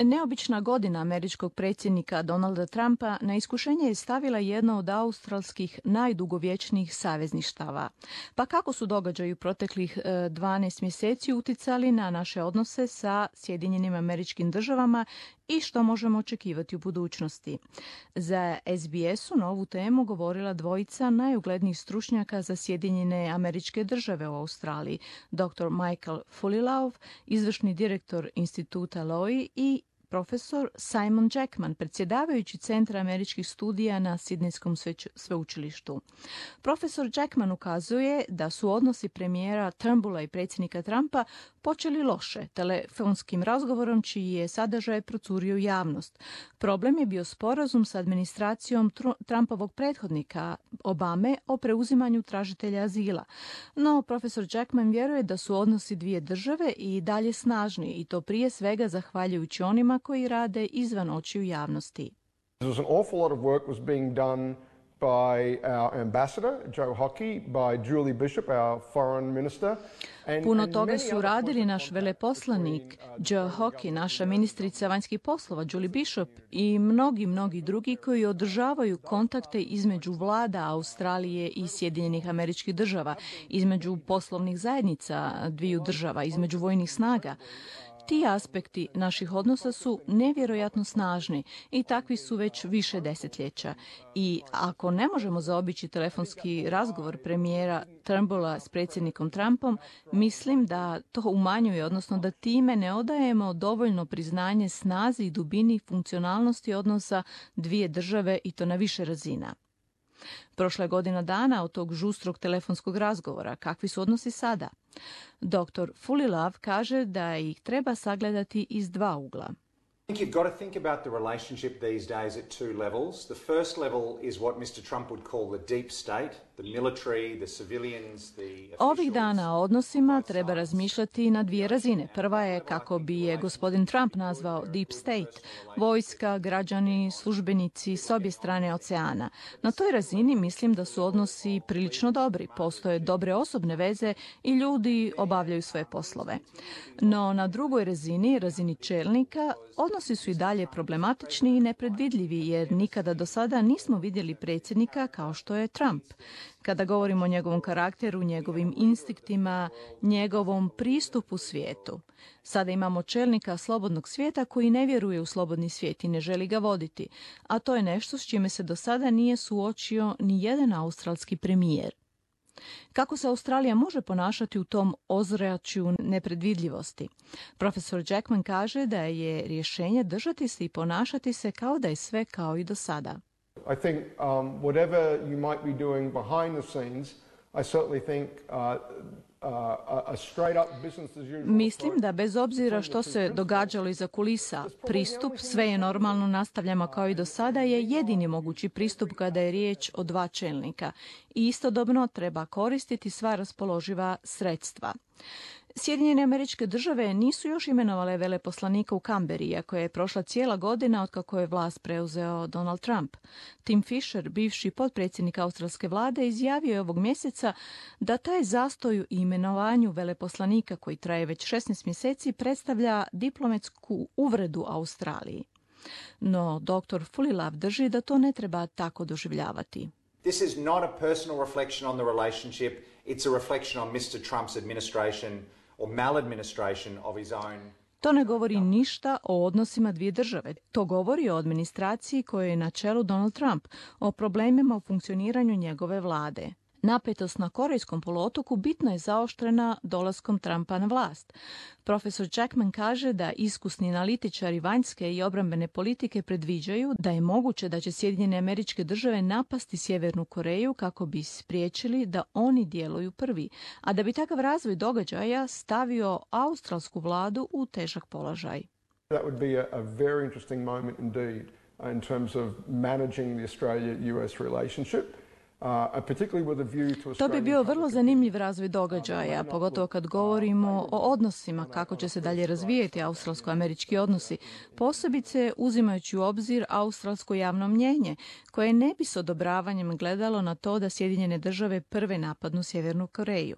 Neobična godina američkog predsjednika Donalda Trumpa na iskušenje je stavila jedno od australskih najdugovječnijih savezništava. Pa kako su događaji u proteklih 12 mjeseci uticali na naše odnose sa Sjedinjenim Američkim Državama i što možemo očekivati u budućnosti? Za SBS-u na ovu temu govorila dvojica najuglednijih stručnjaka za Sjedinjene Američke Države u Australiji, dr. Michael Fulilove, izvršni direktor instituta Lowy i profesor Simon Jackman, predsjedavajući Centra američkih studija na Sidnejskom sveučilištu. Profesor Jackman ukazuje da su odnosi premijera Turnbulla i predsjednika Trumpa počeli loše, telefonskim razgovorom čiji je sadržaj procurio u javnost. Problem je bio sporazum sa administracijom Trumpovog prethodnika Obame o preuzimanju tražitelja azila. No, profesor Jackman vjeruje da su odnosi dvije države i dalje snažni, i to prije svega zahvaljujući onima koji rade izvan očiju javnosti. There was an awful lot of work was being done by our ambassador, Joe Hockey, by Julie Bishop, our foreign minister. Puno toga su radili naš veleposlanik Joe Hockey, naša ministrica vanjskih poslova Julie Bishop i mnogi drugi koji održavaju kontakte između vlada Australije i Sjedinjenih Američkih Država, između poslovnih zajednica dviju država, između vojnih snaga. Ti aspekti naših odnosa su nevjerojatno snažni i takvi su već više desetljeća. I ako ne možemo zaobići telefonski razgovor premijera Turnbulla s predsjednikom Trumpom, mislim da to umanjuje, odnosno da time ne odajemo dovoljno priznanje snazi i dubini funkcionalnosti odnosa dvije države i to na više razina. Prošla je godina dana od tog žustrog telefonskog razgovora. Kakvi su odnosi sada? Dr. Fulilove kaže da ih treba sagledati iz dva ugla. I think you've got to think about the relationship these days at two levels. The first level is what Mr. Trump would call the deep state, the military, the civilians, the officials. Ovih dana o odnosima treba razmišljati na dvije razine. Prva je, kako bi je gospodin Trump nazvao, deep state, vojska, građani, službenici s obje strane oceana. Na toj razini mislim da su odnosi prilično dobri, postoje dobre osobne veze i ljudi obavljaju svoje poslove. No na drugoj razini, razini čelnika, odnosi su i dalje problematični i nepredvidljivi, jer nikada do sada nismo vidjeli predsjednika kao što je Trump. Kada govorimo o njegovom karakteru, njegovim instinktima, njegovom pristupu svijetu. Sada imamo čelnika slobodnog svijeta koji ne vjeruje u slobodni svijet i ne želi ga voditi, a to je nešto s čime se do sada nije suočio ni jedan australski premijer. Kako se Australija može ponašati u tom ozračju nepredvidljivosti? Profesor Jackman kaže da je rješenje držati se i ponašati se kao da je sve kao i do sada. I think whatever you might be doing behind the scenes, I certainly think a straight up business as usual. Mislim da bez obzira što se događalo iza kulisa, pristup sve je normalno, nastavljamo kao i do sada je jedini mogući pristup kada je riječ o dva čelnika. I istodobno treba koristiti sva raspoloživa sredstva. Sjedinjene Američke Države nisu još imenovale veleposlanika u Kamberi, iako je prošla cijela godina otkako je vlast preuzeo Donald Trump. Tim Fisher, bivši potpredsjednik australske vlade, izjavio je ovog mjeseca da taj zastoj u imenovanju veleposlanika koji traje već 16 mjeseci predstavlja diplomatsku uvredu Australiji. No, dr. Fulilove drži da to ne treba tako doživljavati. This is not a personal reflection on the relationship, it's a reflection on Mr. Trump's administration or maladministration of his own. To ne govori ništa o odnosima dvije države. To govori o administraciji kojoj je na čelu Donald Trump, o problemima u funkcioniranju njegove vlade. Napetost na Korejskom poluotoku bitno je zaoštrena dolaskom Trumpa na vlast. Profesor Jackman kaže da iskusni analitičari vanjske i obrambene politike predviđaju da je moguće da će Sjedinjene Američke Države napasti Sjevernu Koreju kako bi spriječili da oni djeluju prvi, a da bi takav razvoj događaja stavio australsku vladu u težak položaj. That would be a very interesting moment indeed in terms of managing the Australia-US relationship. To bi bio vrlo zanimljiv razvoj događaja, pogotovo kad govorimo o odnosima, kako će se dalje razvijeti australsko-američki odnosi, posebice uzimajući u obzir australsko javno mnjenje, koje ne bi s odobravanjem gledalo na to da Sjedinjene Države prve napadnu Sjevernu Koreju.